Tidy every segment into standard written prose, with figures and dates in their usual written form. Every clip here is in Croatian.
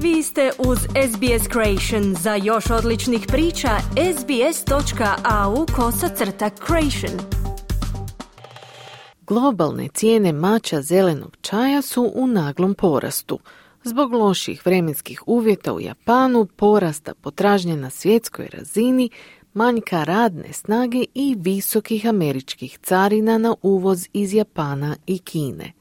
Vi ste uz SBS Creation. Za još odličnih priča, sbs.au/creation. Globalne cijene mača zelenog čaja su u naglom porastu. Zbog loših vremenskih uvjeta u Japanu, porasta potražnje na svjetskoj razini, manjka radne snage i visokih američkih carina na uvoz iz Japana i Kine.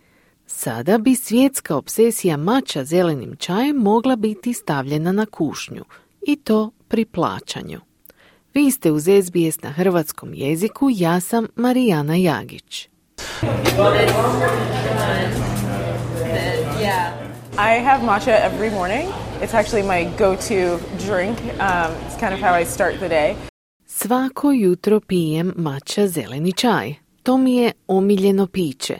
Sada bi svjetska obsesija mača zelenim čajem mogla biti stavljena na kušnju, i to pri plaćanju. Vi ste uz SBS na hrvatskom jeziku, ja sam Marijana Jagić. I have matcha every morning. It's actually my go-to drink. It's kind of how I start the day. Svako jutro pijem mača zeleni čaj. To mi je omiljeno piće.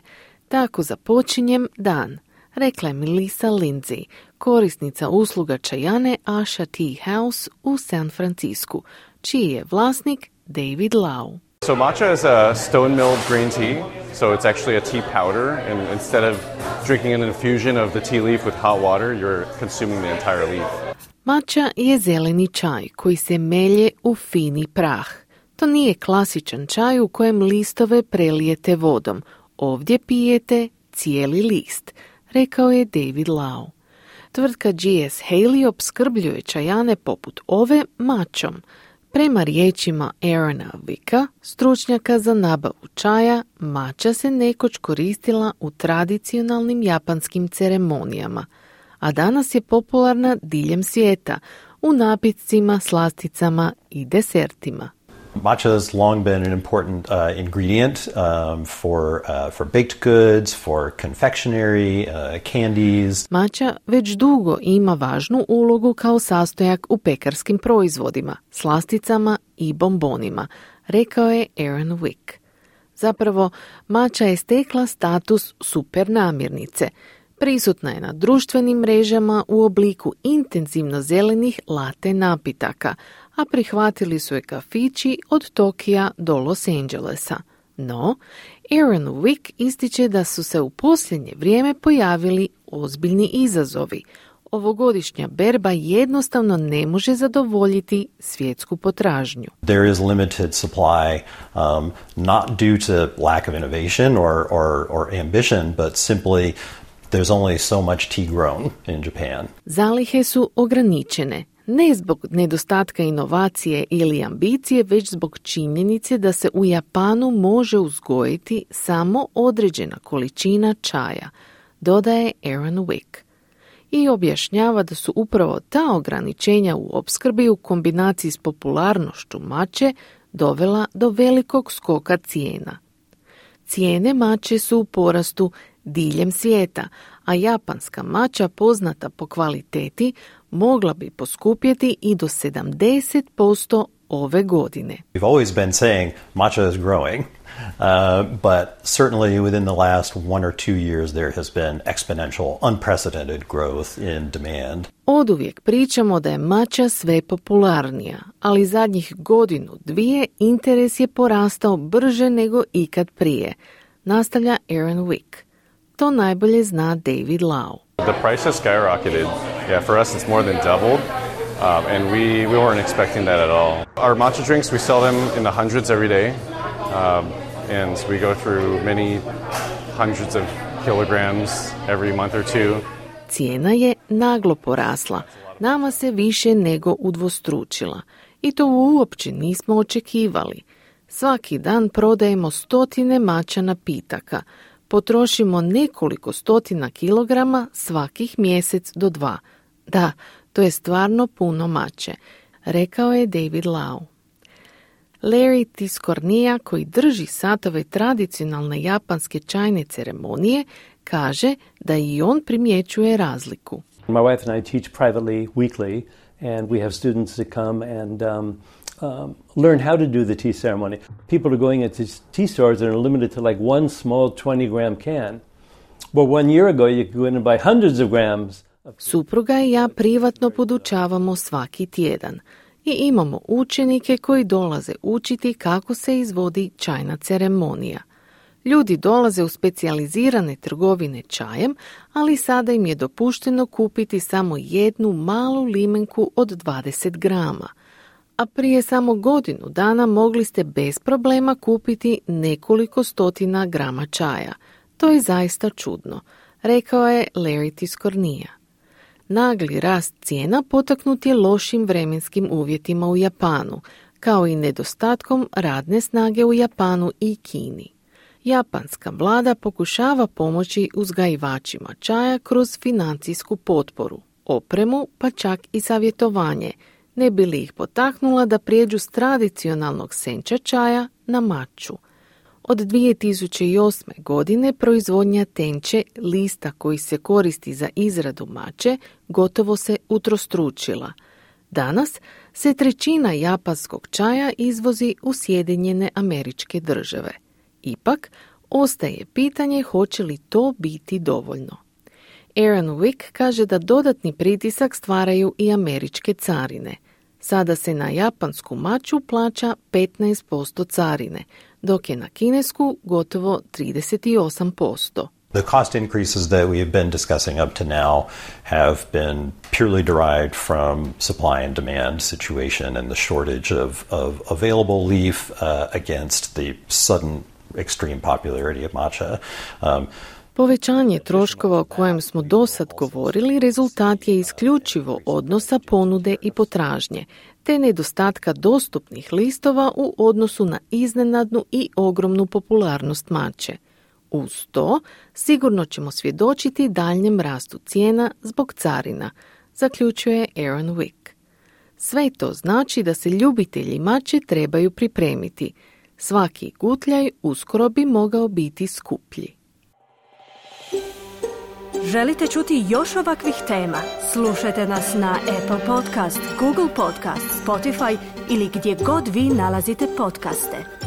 Tako započinjem dan, rekla je Melissa Lindsay, korisnica usluga čajane Asha Tea House u San Francisku, čiji je vlasnik David Lau. So matcha is a stone-milled green tea, so it's actually a tea powder, and instead of drinking an infusion of the tea leaf with hot water, you're consuming the entire leaf. Matcha je zeleni čaj koji se melje u fini prah. To nije klasičan čaj u kojem listove prelijete vodom. Ovdje pijete cijeli list, rekao je David Lau. Tvrtka G.S. Haley opskrbljuje čajane poput ove mačom. Prema riječima Aarona Wicka, stručnjaka za nabavu čaja, mača se nekoć koristila u tradicionalnim japanskim ceremonijama, a danas je popularna diljem svijeta u napitcima, slasticama i desertima. Matcha has long been an important ingredient for baked goods, for confectionery, candies. Matcha već dugo ima važnu ulogu kao sastojak u pekarskim proizvodima, slasticama i bombonima, rekao je Aaron Wick. Zapravo, matcha je stekla status super namirnice. Prisutna je na društvenim mrežama u obliku intenzivno zelenih latte napitaka, a prihvatili su je kafići od Tokija do Los Angelesa. No, Aaron Wick ističe da su se u posljednje vrijeme pojavili ozbiljni izazovi. Ovogodišnja berba jednostavno ne može zadovoljiti svjetsku potražnju. There is limited supply, not due to lack of innovation or ambition, but simply there's only so much tea grown in Japan. Zalihe su ograničene, ne zbog nedostatka inovacije ili ambicije, već zbog činjenice da se u Japanu može uzgojiti samo određena količina čaja, dodaje Aaron Wick. I objašnjava da su upravo ta ograničenja u opskrbi u kombinaciji s popularnošću mače dovela do velikog skoka cijena. Cijene mače su u porastu diljem svijeta, a japanska mača poznata po kvaliteti mogla bi poskupjeti i do 70% ove godine. We've always been saying matcha is growing, but certainly within the last 1 or 2 years there has been exponential, unprecedented growth in demand. Oduvijek pričamo da je mača sve popularnija, ali zadnjih 1-2 interes je porastao brže nego ikad prije, nastavlja Aaron Wick. To najbolje zna David Lau. The price has skyrocketed. Yeah, for us it's more than doubled, and we weren't expecting that at all. Our matcha drinks, we sell them in the hundreds every day, and we go through many hundreds of kilograms every month or two. Cijena je naglo porasla, nama se više nego udvostručila i to uopće nismo očekivali. Svaki dan prodajemo stotine mača napitaka, potrošimo nekoliko stotina kilograma svakih mjesec do 2. Da, to je stvarno puno mače, rekao je David Lau. Larry Tiscornia, koji drži satove tradicionalne japanske čajne ceremonije, kaže da i on primjećuje razliku. My wife and I teach privately weekly, and we have students that come and learn how to do the tea ceremony. People are going into tea stores that are limited to like one small 20-gram can. Well, 1 year ago you could go in and buy hundreds of grams. Supruga i ja privatno podučavamo svaki tjedan i imamo učenike koji dolaze učiti kako se izvodi čajna ceremonija. Ljudi dolaze u specijalizirane trgovine čajem, ali sada im je dopušteno kupiti samo jednu malu limenku od 20 grama. A prije samo godinu dana mogli ste bez problema kupiti nekoliko stotina grama čaja. To je zaista čudno, rekao je Larry Tiscornia. Nagli rast cijena potaknut je lošim vremenskim uvjetima u Japanu, kao i nedostatkom radne snage u Japanu i Kini. Japanska vlada pokušava pomoći uzgajivačima čaja kroz financijsku potporu, opremu pa čak i savjetovanje, ne bi li ih potaknula da prijeđu s tradicionalnog senča čaja na maču. Od 2008. godine proizvodnja tenče, lista koji se koristi za izradu mače, gotovo se utrostručila. Danas se 1/3 japanskog čaja izvozi u Sjedinjene Američke Države. Ipak, ostaje pitanje hoće li to biti dovoljno. Aaron Wick kaže da dodatni pritisak stvaraju i američke carine. Sada se na japansku maču plaća 15% carine, dok je na kinesku gotovo 38%. The cost increases that we have been discussing up to now have been purely derived from supply and demand situation and the shortage of available leaf against the sudden extreme popularity of matcha. Povećanje troškova o kojem smo dosad govorili rezultat je isključivo odnosa ponude i potražnje, te nedostatka dostupnih listova u odnosu na iznenadnu i ogromnu popularnost mače. Uz to, sigurno ćemo svjedočiti daljnjem rastu cijena zbog carina, zaključuje Aaron Wick. Sve to znači da se ljubitelji mače trebaju pripremiti. Svaki gutljaj uskoro bi mogao biti skuplji. Želite čuti još ovakvih tema? Slušajte nas na Apple Podcast, Google Podcast, Spotify ili gdje god vi nalazite podcaste.